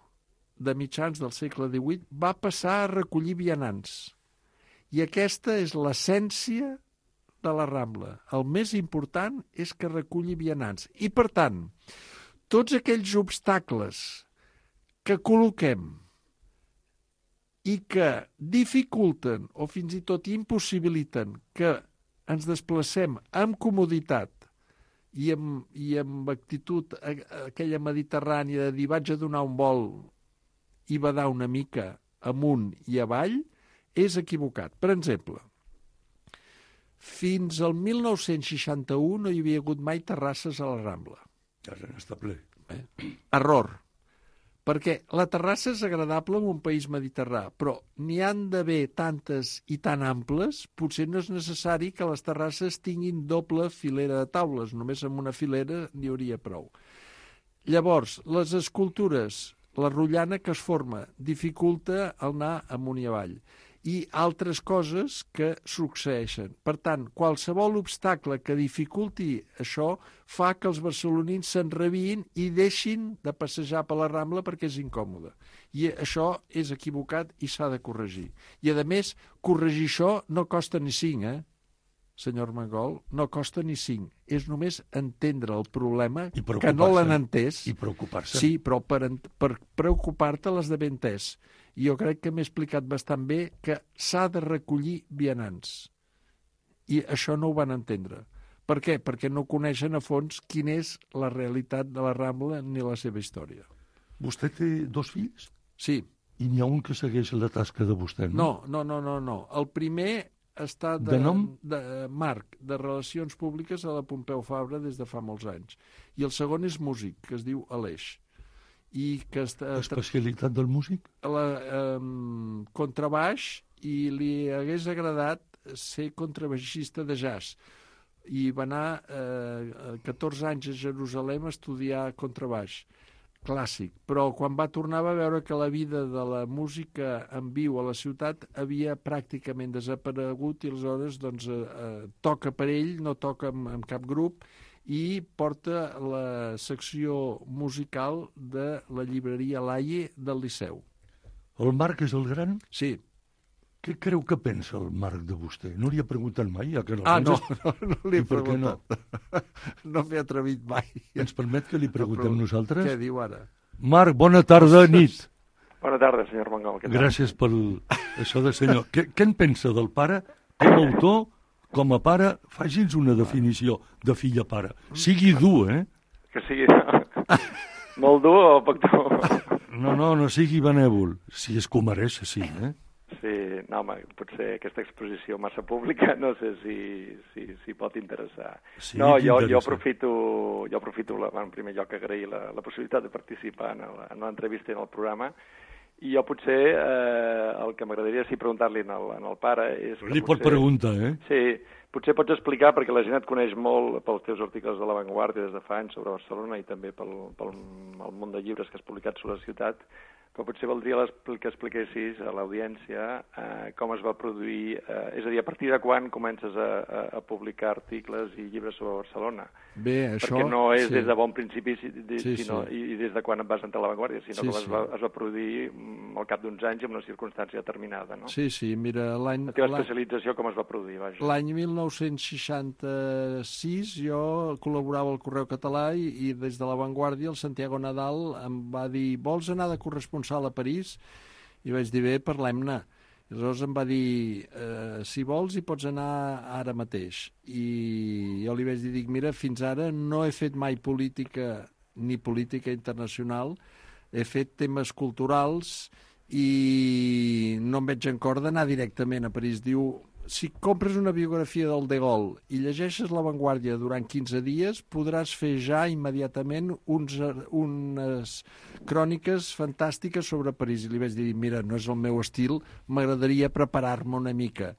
de mitjans del segle divuit, va passar a recollir vianants. I aquesta és l'essència de la Rambla. El més important és que reculli vianants. I, per tant, tots aquells obstacles que col·loquem i que dificulten o fins i tot impossibiliten que ens desplacem amb comoditat i amb, i amb actitud aquella mediterrània de dir vaig a donar un vol i badar una mica amunt i avall, és equivocat. Per exemple, fins al mil nou-cents seixanta-u no hi havia hagut mai terrasses a la Rambla. Ara n'està ple. Eh? Error. Perquè la terrassa és agradable en un país mediterrà, però n'hi han d'haver tantes i tan amples, potser no és necessari que les terrasses tinguin doble filera de taules, només amb una filera n'hi hauria prou. Llavors, les escultures, la rotllana que es forma dificulta anar amunt i avall i altres coses que succeeixen. Per tant, qualsevol obstacle que dificulti això fa que els barcelonins s'enrabiïn i deixin de passejar per la Rambla perquè és incòmode. I això és equivocat i s'ha de corregir. I, a més, corregir això no costa ni cinc, eh? Senyor Mangol, no costa ni cinc. És només entendre el problema, que no l'han entès. I preocupar-se. Sí, però per, per preocupar-te l'has d'haver entès. I jo crec que m'he explicat bastant bé que s'ha de recollir vianants. I això no ho van entendre. Per què? Perquè no coneixen a fons quina és la realitat de la Rambla ni la seva història. Vostè té dos fills? Sí. I n'hi ha un que segueix la tasca de vostè, no? No, no, no, no. El primer està de, de nom? De, Marc, de Relacions Públiques a la Pompeu Fabra des de fa molts anys. I el segon és músic, que es diu Aleix. I que està, especialitat del músic? La, eh, contrabaix, i li hagués agradat ser contrabaixista de jazz. I va anar eh, catorze anys a Jerusalem a estudiar contrabaix clàssic, però quan va tornar va veure que la vida de la música en viu a la ciutat havia pràcticament desaparegut i aleshores doncs, eh, toca per ell, no toca amb, amb cap grup, i porta la secció musical de la llibreria Laie del Liceu. El Marc és el gran? Sí. Què creu que pensa el Marc de vostè? No li ha preguntat mai? Ja que no ah, no, no, no li he No, preguntat. No, no m'he atrevit mai. Ens permet que li preguntem no, nosaltres? Què diu ara? Marc, bona tarda, nit. Bona tarda, senyor Mangol. Gràcies per això de senyor. Què, què en pensa del pare com a autor? Com a pare, faci'ns una definició de fill-pare. Sigui dur, eh? Que sigui molt dur o poc dur? No, no, no sigui benèvol. Si es comereix, sí, eh? Sí, no, home, potser aquesta exposició massa pública, no sé si, si, si pot interessar. Sí, no, jo, jo aprofito, jo aprofito la, en primer lloc, agrair la, la possibilitat de participar en, el, en l'entrevista i en el programa. I jo potser eh, el que m'agradaria sí preguntar-li en, el, en el pare és... Li pot preguntar, eh? Sí, potser pots explicar, perquè la gent et coneix molt pels teus articles de La Vanguardia des de fa anys sobre Barcelona i també pel, pel el munt de llibres que has publicat sobre la ciutat, però potser valdria que expliquessis a l'audiència eh, com es va produir, eh, és a dir, a partir de quan comences a, a, a publicar articles i llibres sobre Barcelona. Bé, això... Perquè no és sí. des de bon principi de, sí, sinó, sí. i des de quan et vas entrar a La Vanguardia, sinó sí, que es sí. va, es va produir al cap d'uns anys en una circumstància determinada, no? Sí, sí, mira... La teva especialització com es va produir, vaja. L'any mil nou-cents seixanta-sis jo col·laborava al Correu Català i, i des de La Vanguardia el Santiago Nadal em va dir vols anar de corresponsal a París? I vaig dir, bé, parlem-ne. I aleshores em va dir, eh, si vols hi pots anar ara mateix. I jo li vaig dir, dic, mira, fins ara no he fet mai política ni política internacional, he fet temes culturals i no em veig en cor d'anar directament a París. Diu, si compres una biografia del De Gaulle i llegeixes La Vanguardia durant quinze dies, podràs fer ja immediatament uns, unes cròniques fantàstiques sobre París. I li vaig dir, mira, no és el meu estil, m'agradaria preparar-me una mica.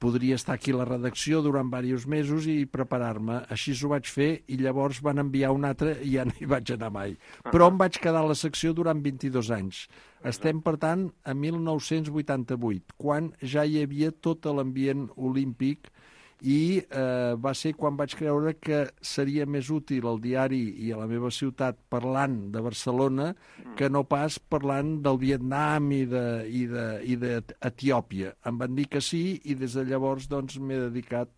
podria estar aquí a la redacció durant diversos mesos i preparar-me. Així ho vaig fer i llavors van enviar un altre i ja no hi vaig anar mai. Però em vaig quedar a la secció durant vint-i-dos anys. Estem, per tant, a mil nou-cents vuitanta-vuit, quan ja hi havia tot l'ambient olímpic i eh, va ser quan vaig creure que seria més útil al diari i a la meva ciutat parlant de Barcelona que no pas parlant del Vietnam i d'Etiòpia. Em van dir que sí i des de llavors doncs, m'he dedicat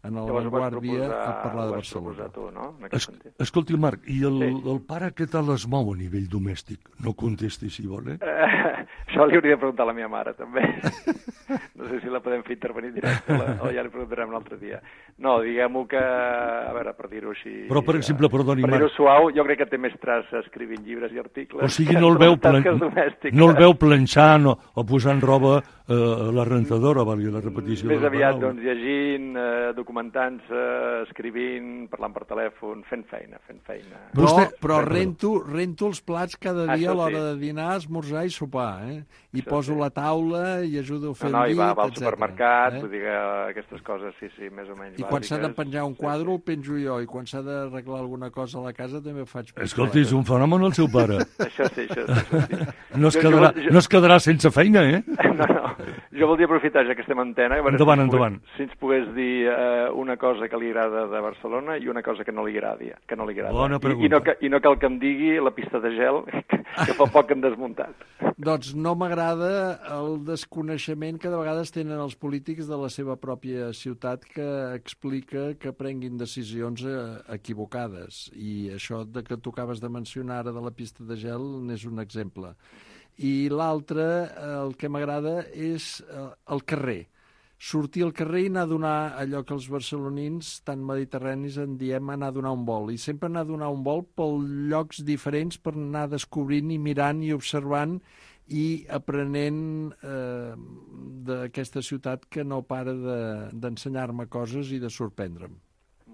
en la Vanguardia a parlar de Barcelona. Tu, no? Es, escolti, Marc, i el, sí. el pare què tal es mou a nivell domèstic? No contesti si vol, eh? eh això li hauria de preguntar a la meva mare, també. No sé si la podem fer intervenir directe o ja li preguntarem un altre dia. No, diguem-ho que, a veure, per dir-ho així... Però, per exemple, perdoni, Per dir-ho suau, jo crec que té més traça escrivint llibres i articles. O sigui, no el veu, plan... no el veu planxant o, o posant roba eh, a la rentadora, valgui la repetició. Més aviat, doncs, llegint, eh, documentant-se, escrivint, parlant per telèfon, fent feina, fent feina. Però, Vostè... però rento, rento els plats cada dia Això a l'hora sí. de dinar, esmorzar i sopar, eh? I Això poso sí. la taula i ajudo a fer No, no, el i llit, va, va al etcètera, supermercat, eh? vull dir que aquestes coses, sí, sí, més o menys I bàsiques. quan s'ha de penjar un quadre sí, el penjo jo, i quan s'ha d'arreglar alguna cosa a la casa també ho faig. Escolti, és un fenomen el seu pare. sí. Això sí, això sí. Això sí. No es, Jo- quedarà, jo- no es quedarà sense feina, eh? No, no. Jo voldria aprofitar, ja que estem en antena, a veure Endavant, si, ens endavant. Pogués, si ens pogués dir eh, una cosa que li agrada de Barcelona i una cosa que no li agradi. Que no li agrada. Bona I, pregunta. i, no, ca- I no cal que em digui la pista de gel, que, que fa poc hem desmuntat. Doncs no m'agrada el desconeixement que de vegades tenen els polítics de la seva pròpia ciutat que explica que prenguin decisions eh, equivocades. I això de que tu acabes de mencionar ara de la pista de gel n'és un exemple. I l'altre, el que m'agrada, és eh, el carrer. Sortir al carrer i anar a donar allò que els barcelonins tan mediterranis en diem anar a donar un vol. I sempre anar a donar un vol per llocs diferents per anar descobrint i mirant i observant i aprenent eh, d'aquesta ciutat que no para de- d'ensenyar-me coses i de sorprendre'm.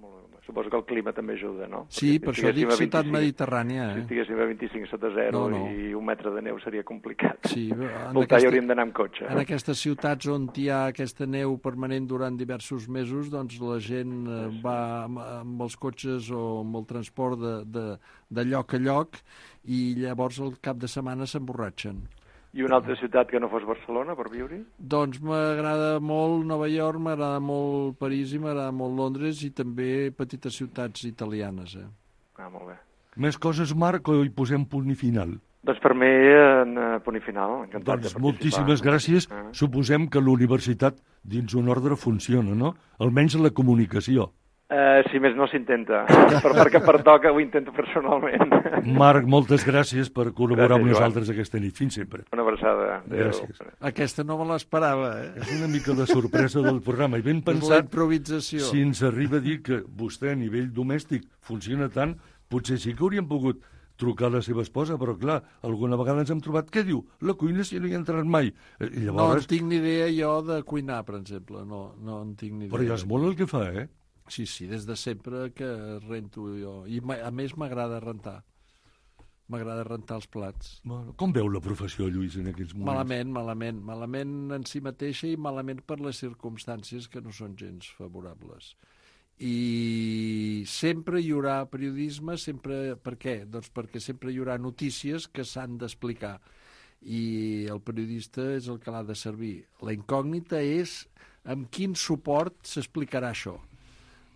Molt bé. Suposo que el clima també ajuda, no? Sí, Perquè per si això estiguéssim dic a ciutat vint-i-cinc mediterrània. Si Eh? estiguéssim a vint-i-cinc sota zero No, no. i un metre de neu seria complicat. Sí, en Voltar aquesta- hi hauríem d'anar amb cotxe. En aquestes ciutats on hi ha aquesta neu permanent durant diversos mesos, doncs la gent eh, va amb, amb els cotxes o amb el transport de, de, de lloc a lloc i llavors al cap de setmana s'emborratxen. I una altra ciutat que no fos Barcelona per viure-hi? Doncs m'agrada molt Nova York, m'agrada molt París i m'agrada molt Londres i també petites ciutats italianes. Eh? Ah, molt bé. Més coses, Marc, o hi posem punt i final? Doncs per mi, en eh, punt i final, encantat Doncs de participar. moltíssimes gràcies. Ah. Suposem que l'universitat, dins un ordre, funciona, no? Almenys la comunicació. Eh, si més no s'intenta, per, perquè pertoca ho intento personalment. Marc, moltes gràcies per col·laborar Gràcies, amb Joan. nosaltres aquesta nit. Fins sempre. Una abraçada. Adéu. Gràcies. Aquesta no me l'esperava, eh? És una mica la sorpresa del programa. I ben És la pensat, improvisació. si ens arriba a dir que vostè a nivell domèstic funciona tant, potser sí que hauríem pogut trucar a la seva esposa, però clar, alguna vegada ens hem trobat, què diu? La cuina si no hi he entrat mai. I No llavors, en tinc ni idea jo de cuinar, per exemple. No, no en tinc ni idea. però ja és molt el que fa, eh? Sí, sí, des de sempre que rento jo. I ma- a més m'agrada rentar. M'agrada rentar els plats. Bueno, com veu la professió, Lluís, en aquests moments? Malament, malament. Malament en si mateixa i malament per les circumstàncies que no són gens favorables. I sempre hi haurà periodisme, sempre... Per què? Doncs perquè sempre hi haurà notícies que s'han d'explicar. I el periodista és el que l'ha de servir. La incògnita és amb quin suport s'explicarà això.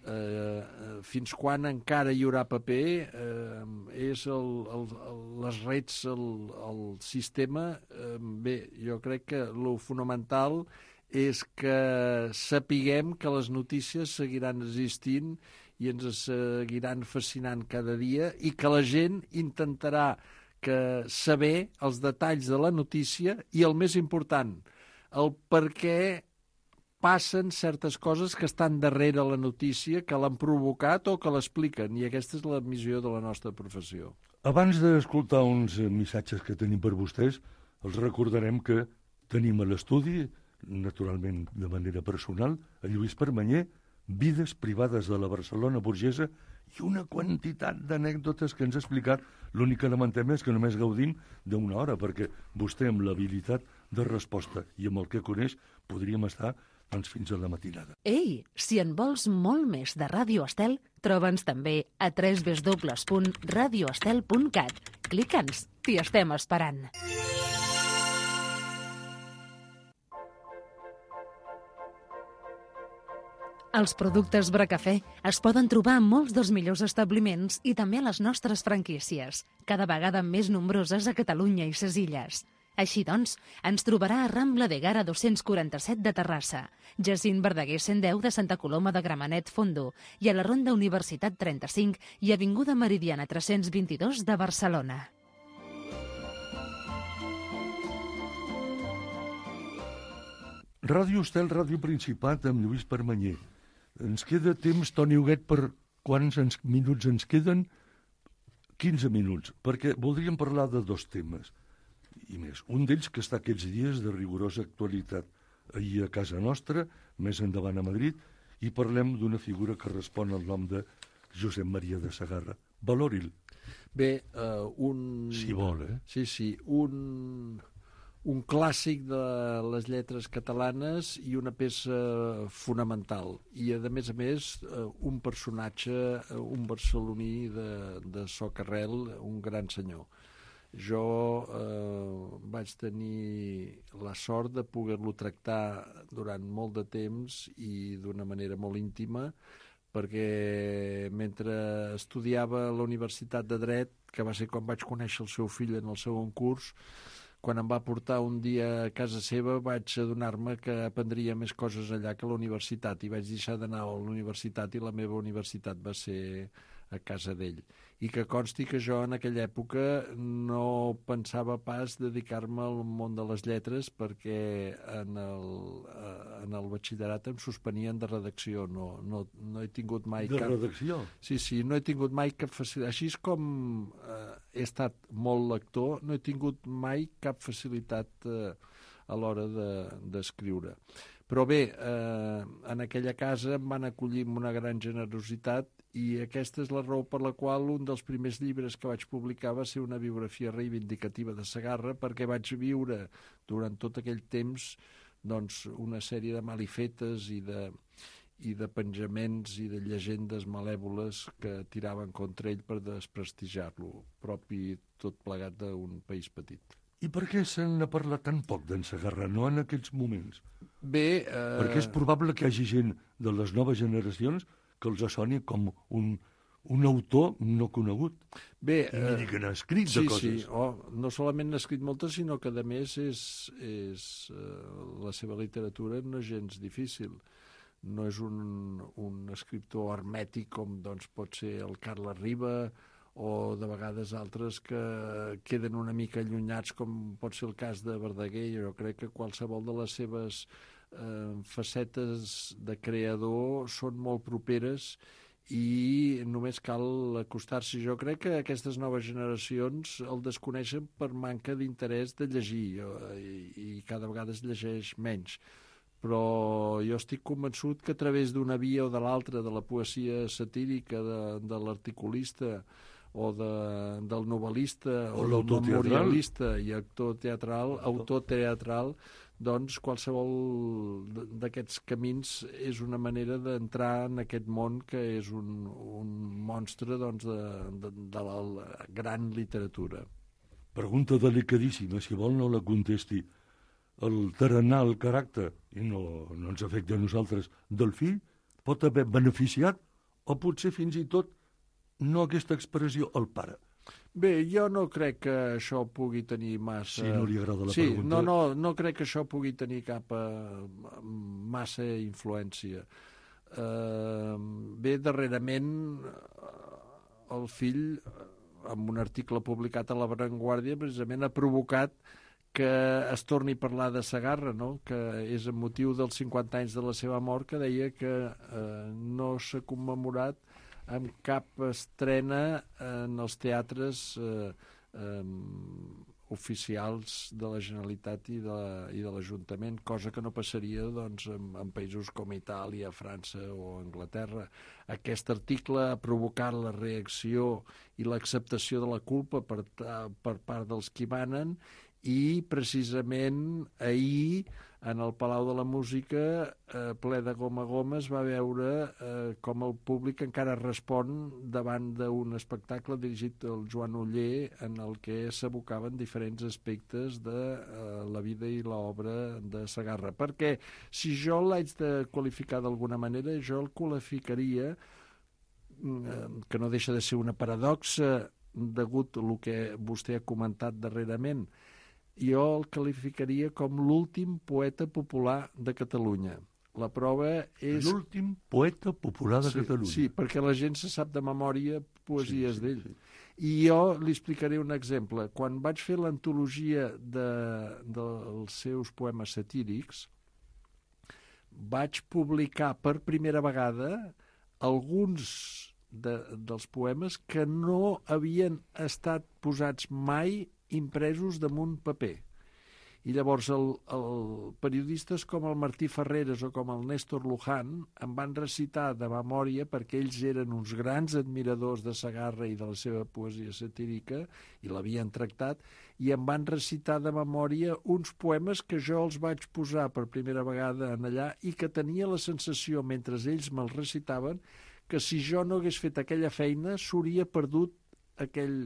Eh, fins quan encara hi haurà paper eh, és el, el, el, les rets, el, el sistema. Eh, bé, jo crec que el fonamental és que sapiguem que les notícies seguiran existint i ens seguiran fascinant cada dia i que la gent intentarà que saber els detalls de la notícia i, el més important, el per què passen certes coses que estan darrere la notícia, que l'han provocat o que l'expliquen, i aquesta és la missió de la nostra professió. Abans d'escoltar uns eh, missatges que tenim per vostès, els recordarem que tenim a l'estudi, naturalment de manera personal, a Lluís Permanyer, vides privades de la Barcelona burgesa i una quantitat d'anècdotes que ens ha explicat. L'únic que lamentem és que només gaudim d'una hora, perquè vostè amb l'habilitat de resposta i amb el que coneix podríem estar Doncs fins a la matinada. Ei, si en vols molt més de Ràdio Estel, troba'ns també a w w w punt radio estel punt cat. Clica'ns, t'hi estem esperant. Els productes Bracafè es poden trobar en molts dels millors establiments i també a les nostres franquícies, cada vegada més nombroses a Catalunya i ses Illes. Així doncs, ens trobarà a Rambla de Gara dos-cents quaranta-set de Terrassa, Jacint Verdaguer cent deu de Santa Coloma de Gramenet Fondo i a la Ronda Universitat trenta-cinc i Avinguda Meridiana tres-cents vint-i-dos de Barcelona. Ràdio Estel, Ràdio Principat, amb Lluís Permanyer. Ens queda temps, Toni Huguet, per quants ens, minuts ens queden? quinze minuts, perquè voldríem parlar de dos temes i més. Un d'ells que està aquests dies de rigorosa actualitat ahir a casa nostra, més endavant a Madrid, i parlem d'una figura que respon al nom de Josep Maria de Sagarra. Valori'l. Bé, uh, un... Si vol, eh? Sí, sí, un... un clàssic de les lletres catalanes i una peça fonamental. I, a més a més, un personatge, un barceloní de, de socarrel, un gran senyor. Jo eh, vaig tenir la sort de poder-lo tractar durant molt de temps i d'una manera molt íntima, perquè mentre estudiava a la Universitat de Dret, que va ser quan vaig conèixer el seu fill en el segon curs, quan em va portar un dia a casa seva vaig adonar-me que aprendria més coses allà que a la universitat i vaig deixar d'anar a la universitat i la meva universitat va ser a casa d'ell. I que consti que jo en aquella època no pensava pas dedicar-me al món de les lletres perquè en el, en el batxillerat em suspenien de redacció. No, no, no he tingut mai de cap... De redacció? Sí, sí, no he tingut mai cap facilitat. Així com eh, he estat molt lector, no he tingut mai cap facilitat eh, a l'hora d'escriure. De, Però bé, eh, en aquella casa em van acollir amb una gran generositat i aquesta és la raó per la qual un dels primers llibres que vaig publicar va ser una biografia reivindicativa de Sagarra, perquè vaig viure durant tot aquell temps doncs, una sèrie de malifetes i de, i de penjaments i de llegendes malèvoles que tiraven contra ell per desprestigiar-lo, propi tot plegat d'un país petit. I per què se n'ha parlat tan poc d'en Sagarra, no en aquests moments? Bé... Eh... Perquè és probable que hi hagi gent de les noves generacions que els soni com un, un autor no conegut. Bé, I miri que n'ha escrit sí, de coses. Sí, oh, no solament n'ha escrit moltes, sinó que a més és, és, eh, la seva literatura no és gens difícil. No és un, un escriptor hermètic com doncs, pot ser el Carles Riba o de vegades altres que queden una mica allunyats com pot ser el cas de Verdaguer. Jo crec que qualsevol de les seves eh, facetes de creador són molt properes i només cal acostar-s'hi. Jo crec que aquestes noves generacions el desconeixen per manca d'interès de llegir i, i cada vegada es llegeix menys. Però jo estic convençut que a través d'una via o de l'altra, de la poesia satírica, de, de l'articulista o de, del novel·lista o, o del memorialista i actor teatral, autor teatral, doncs qualsevol d'aquests camins és una manera d'entrar en aquest món que és un, un monstre doncs, de, de, de la gran literatura. Pregunta delicadíssima, si vol no la contesti. El tarannà, el caràcter, i no, no ens afecta a nosaltres, del fill, pot haver beneficiat o potser fins i tot no aquesta expressió, el pare. Bé, jo no crec que això pugui tenir massa... Si no li agrada la sí, pregunta... No, no, no crec que això pugui tenir cap uh, massa influència. Uh, bé, darrerament, uh, el fill, uh, amb un article publicat a La Vanguardia, precisament ha provocat que es torni a parlar de Sagarra, no? Que és amb motiu dels cinquanta anys de la seva mort, que deia que uh, no s'ha commemorat amb cap estrena en els teatres eh, eh, oficials de la Generalitat i de, i de l'Ajuntament, cosa que no passaria doncs, en, en països com Itàlia, França o Anglaterra. Aquest article ha provocat la reacció i l'acceptació de la culpa per, per part dels qui manen i precisament ahir en el Palau de la Música, eh, ple de goma a goma, es va veure eh, com el públic encara respon davant d'un espectacle dirigit al Joan Oller, en el que s'abocaven diferents aspectes de eh, la vida i l'obra de Segarra. Perquè si jo l'haig de qualificar d'alguna manera, jo el qualificaria, eh, que no deixa de ser una paradoxa degut al que vostè ha comentat darrerament, jo el qualificaria com l'últim poeta popular de Catalunya. La prova és... L'últim poeta popular de sí, Catalunya. Sí, perquè la gent se sap de memòria poesies sí, sí, d'ell. Sí. I jo li explicaré un exemple. Quan vaig fer l'antologia de, dels seus poemes satírics, vaig publicar per primera vegada alguns de, dels poemes que no havien estat posats mai impresos damunt paper. I llavors el, el periodistes com el Martí Ferreres o com el Néstor Luján em van recitar de memòria, perquè ells eren uns grans admiradors de Segarra i de la seva poesia satírica i l'havien tractat, i em van recitar de memòria uns poemes que jo els vaig posar per primera vegada en allà i que tenia la sensació, mentre ells me'ls recitaven, que si jo no hagués fet aquella feina s'hauria perdut aquell,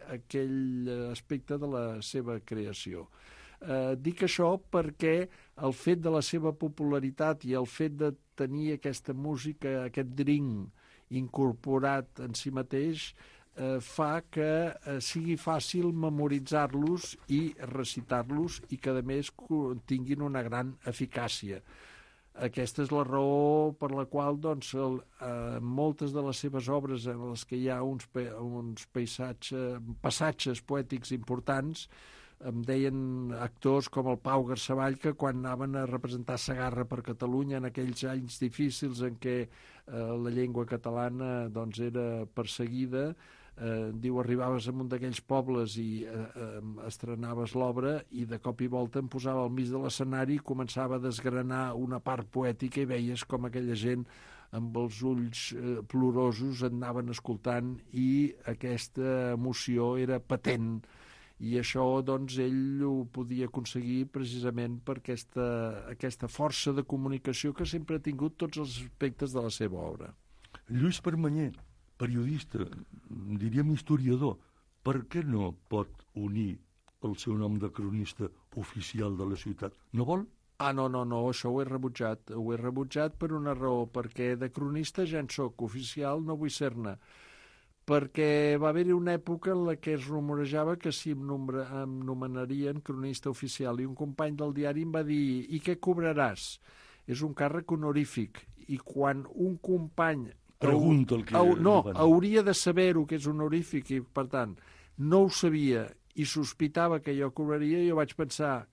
aquell aspecte de la seva creació. Eh, dic això perquè el fet de la seva popularitat i el fet de tenir aquesta música, aquest drink incorporat en si mateix, eh, fa que eh, sigui fàcil memoritzar-los i recitar-los i que, a més, tinguin una gran eficàcia. Aquesta és la raó per la qual doncs, el, eh, moltes de les seves obres en les que hi ha uns, uns paisatges, passatges poètics importants, em deien actors com el Pau Garsavall, que quan anaven a representar Segarra per Catalunya en aquells anys difícils en què eh, la llengua catalana doncs, era perseguida, eh, diu, arribaves a un d'aquells pobles i eh, eh, estrenaves l'obra i de cop i volta em posava al mig de l'escenari i començava a desgranar una part poètica i veies com aquella gent amb els ulls eh, plorosos et anaven escoltant i aquesta emoció era patent. I això, doncs, ell ho podia aconseguir precisament per aquesta, aquesta força de comunicació que sempre ha tingut tots els aspectes de la seva obra. Lluís Permanyer, periodista, diríem historiador, per què no pot unir el seu nom de cronista oficial de la ciutat? No vol? Ah, no, no, no, això ho he rebutjat. Ho he rebutjat per una raó, perquè de cronista ja en soc, oficial no vull ser-ne. Perquè va haver-hi una època en la que es rumorejava que si em, nombra, em nomenarien cronista oficial, i un company del diari em va dir: i què cobraràs? És un càrrec honorífic, i quan un company... Pregunta el que... Au, no, hauria de saber-ho, que és honorífic, i per tant no ho sabia i sospitava que jo cobraria, jo vaig pensar: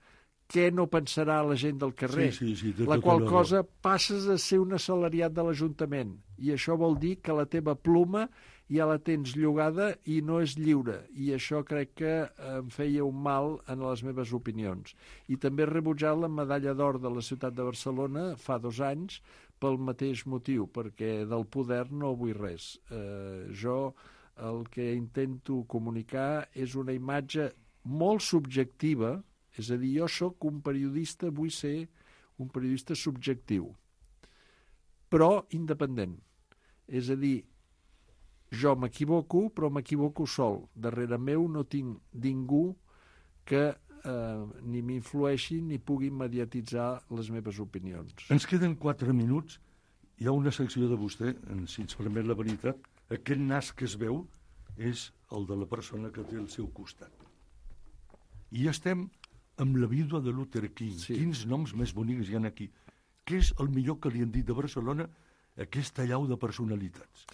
què no pensarà la gent del carrer? Sí, sí, sí, la qual cosa passes a ser un assalariat de l'Ajuntament, i això vol dir que la teva pluma ja la tens llogada i no és lliure, i això crec que em feia un mal en les meves opinions. I també he rebutjat la medalla d'or de la ciutat de Barcelona fa dos anys pel mateix motiu, perquè del poder no vull res. Eh, jo el que intento comunicar és una imatge molt subjectiva, és a dir, jo sóc un periodista, vull ser un periodista subjectiu, però independent. És a dir, jo m'equivoco, però m'equivoco sol. Darrere meu no tinc ningú que eh, ni m'influeixi ni pugui mediatitzar les meves opinions. Ens queden quatre minuts. Hi ha una secció de vostè, si ens permet la veritat, aquest nas que es veu és el de la persona que té al seu costat. I estem amb la vídua de Luther King. Sí. Quins noms més bonics hi ha aquí. Què és el millor que li han dit de Barcelona, aquesta llau de personalitats?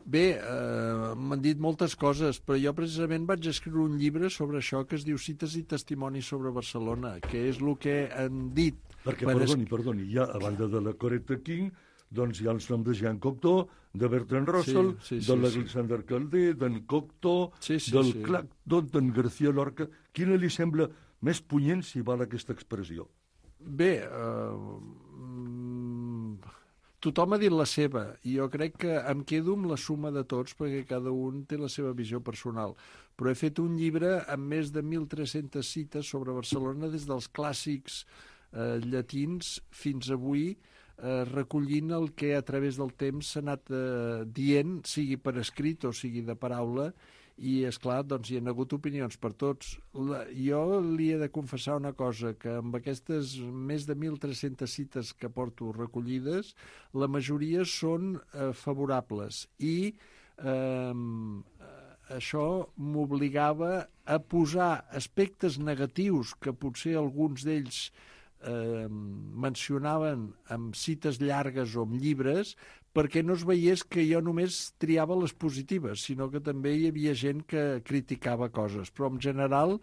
Bé, eh, m'han dit moltes coses, però jo precisament vaig escriure un llibre sobre això que es diu Cites i testimonis sobre Barcelona, que és el que han dit. Perquè, perdoni, perdoni, hi ha, a banda de la Coretta King, doncs hi ha els noms de Jean Cocteau, de Bertrand Russell, sí, sí, sí, de l'Alexander sí. Calder, d'en Cocteau, sí, sí, del sí. Clacton, d'en García Lorca. Quina li sembla més punyent, si val aquesta expressió? Bé, eh... tothom ha dit la seva, i jo crec que em quedo amb la suma de tots, perquè cada un té la seva visió personal. Però he fet un llibre amb més de mil tres-centes cites sobre Barcelona, des dels clàssics eh, llatins fins avui, eh, recollint el que a través del temps s'ha anat eh, dient, sigui per escrit o sigui de paraula, i, és clar, doncs hi ha hagut opinions per tots. La, jo li he de confessar una cosa, que amb aquestes més de mil tres-centes cites que porto recollides, la majoria són eh, favorables, i eh, això m'obligava a posar aspectes negatius que potser alguns d'ells eh, mencionaven amb cites llargues o amb llibres, perquè no es veiés que jo només triava les positives, sinó que també hi havia gent que criticava coses. Però en general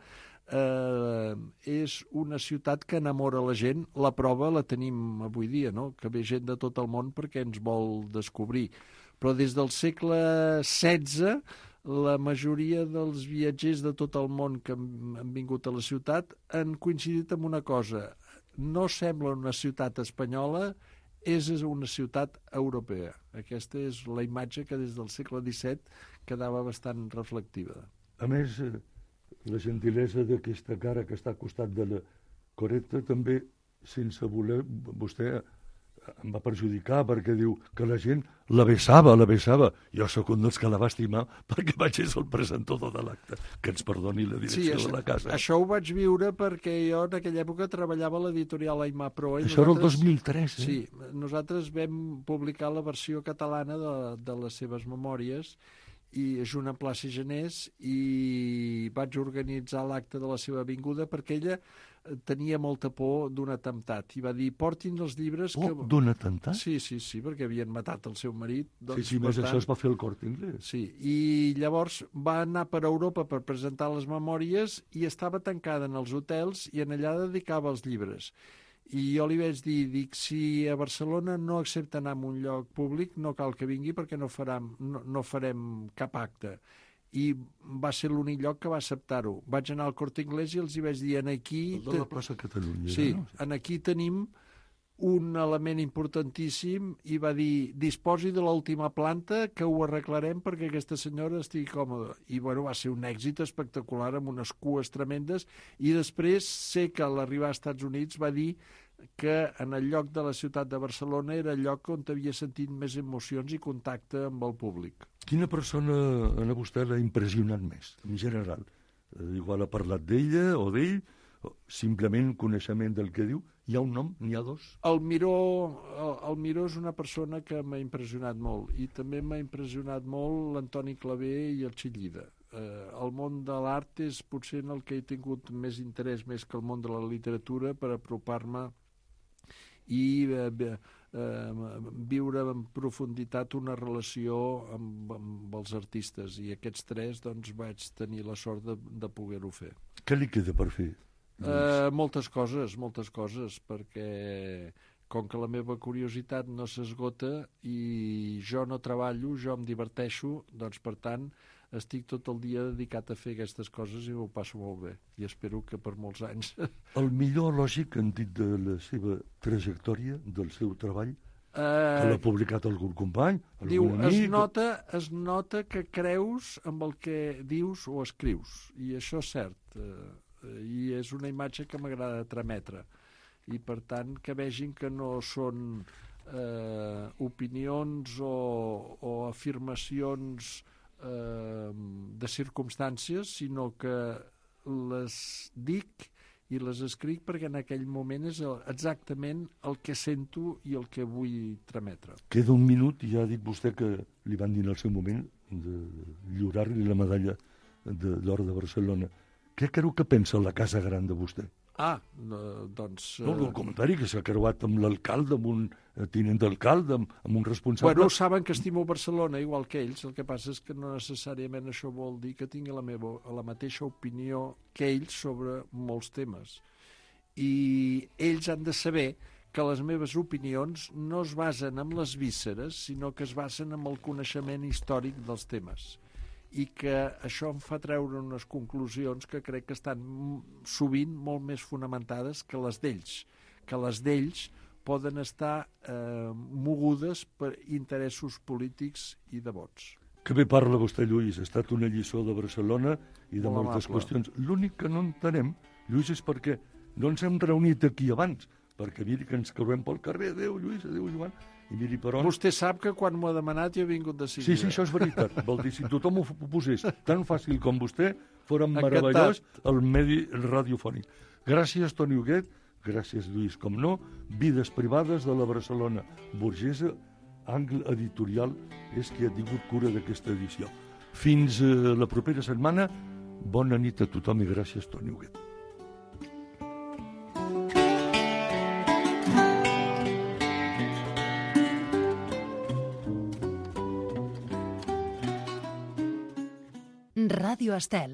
eh, és una ciutat que enamora la gent. La prova la tenim avui dia, no? Que ve gent de tot el món perquè ens vol descobrir. Però des del segle setze, la majoria dels viatgers de tot el món que han vingut a la ciutat han coincidit amb una cosa. No sembla una ciutat espanyola, és una ciutat europea. Aquesta és la imatge que des del segle disset quedava bastant reflectiva. A més, la gentilesa d'aquesta cara que està al costat de la Coretta també, sense voler, vostè em va perjudicar perquè diu que la gent la besava, la besava. Jo sóc un dels que la va estimar perquè vaig ser el presentador de l'acte. Que ens perdoni la direcció sí, això, de la casa. Això ho vaig viure perquè jo en aquella època treballava a l'editorial Aimar Proa. Això era el dos mil tres, eh? Sí, nosaltres vam publicar la versió catalana de, de les seves memòries, i junt amb Plaça Genés, i vaig organitzar l'acte de la seva vinguda perquè ella tenia molta por d'un atemptat i va dir, portin els llibres... Oh, que... d'un atemptat? Sí, sí, sí, perquè havien matat el seu marit. Doncs, sí, sí, més tant... això es va fer el Corte Inglés. Sí, i llavors va anar per Europa per presentar les memòries i estava tancada en els hotels i en allà dedicava els llibres. I jo li vaig dir, dic, si a Barcelona no accepta anar a un lloc públic, no cal que vingui perquè no, farem, no, no farem cap acte. I va ser l'únic lloc que va acceptar-ho. Vaig anar al Corte Inglés i els hi vaig dir, en aquí... El de la plaça Catalunya. Sí, no? en aquí tenim un element importantíssim, i va dir, disposi de l'última planta que ho arreglarem perquè aquesta senyora estigui còmoda. I bueno, va ser un èxit espectacular amb unes cues tremendes, i després sé que a l'arribar als Estats Units va dir que en el lloc de la ciutat de Barcelona era el lloc on havia sentit més emocions i contacte amb el públic. Quina persona a vostè l'ha impressionat més, en general? Igual ha parlat d'ella o d'ell, simplement coneixement del que diu. Hi ha un nom? N'hi ha dos? El Miró, el, el Miró és una persona que m'ha impressionat molt, i també m'ha impressionat molt l'Antoni Clavé i el Xillida. Eh, el món de l'art és potser en el que he tingut més interès, més que el món de la literatura, per apropar-me i eh, eh, viure en profunditat una relació amb, amb els artistes, i aquests tres doncs vaig tenir la sort de, de poder-ho fer. Què li queda per fer? Eh, moltes coses, moltes coses, perquè com que la meva curiositat no s'esgota i jo no treballo, jo em diverteixo, doncs per tant estic tot el dia dedicat a fer aquestes coses i ho passo molt bé, i espero que per molts anys. El millor lògic han dit de la seva trajectòria, del seu treball, eh, que l'ha publicat algun company, algun diu, amic... Es nota, es nota que creus amb el que dius o escrius, i això és cert, eh, i és una imatge que m'agrada trametre, i per tant que vegin que no són eh, opinions o, o afirmacions de circumstàncies, sinó que les dic i les escric perquè en aquell moment és exactament el que sento i el que vull trametre. Queda un minut, i ja ha dit vostè que li van dir en el seu moment de lliurar-li la medalla d'or de Barcelona. Què creu que pensa la Casa Gran de vostè? Ah, no, doncs... No, el comentari que s'ha creuat amb l'alcalde, amb un tinent d'alcalde, amb, amb un responsable... Bueno, saben que estimo Barcelona igual que ells, el que passa és que no necessàriament això vol dir que tingui la, meva, la mateixa opinió que ells sobre molts temes. I ells han de saber que les meves opinions no es basen en les vísceres, sinó que es basen en el coneixement històric dels temes, i que això em fa treure unes conclusions que crec que estan sovint molt més fonamentades que les d'ells, que les d'ells poden estar eh, mogudes per interessos polítics i de vots. Que bé parla vostè, Lluís. Ha estat una lliçó de Barcelona i de Molt moltes amable. qüestions. L'únic que no entenem, Lluís, és perquè no ens hem reunit aquí abans, perquè miri que ens creuem pel carrer, adéu Lluís, adéu Joan, i miri per on... Vostè sap que quan m'ho ha demanat jo he vingut de seguida. Sí, sí, això és veritat. Vol dir, si tothom ho posés tan fàcil com vostè, fóra meravellós el medi radiofònic. Gràcies, Toni Huguet, gràcies, Lluís, com no, Vides privades de la Barcelona burgesa, Angle Editorial és qui ha tingut cura d'aquesta edició. Fins eh, la propera setmana, bona nit a tothom i gràcies, Toni Huguet. Ràdio Estel.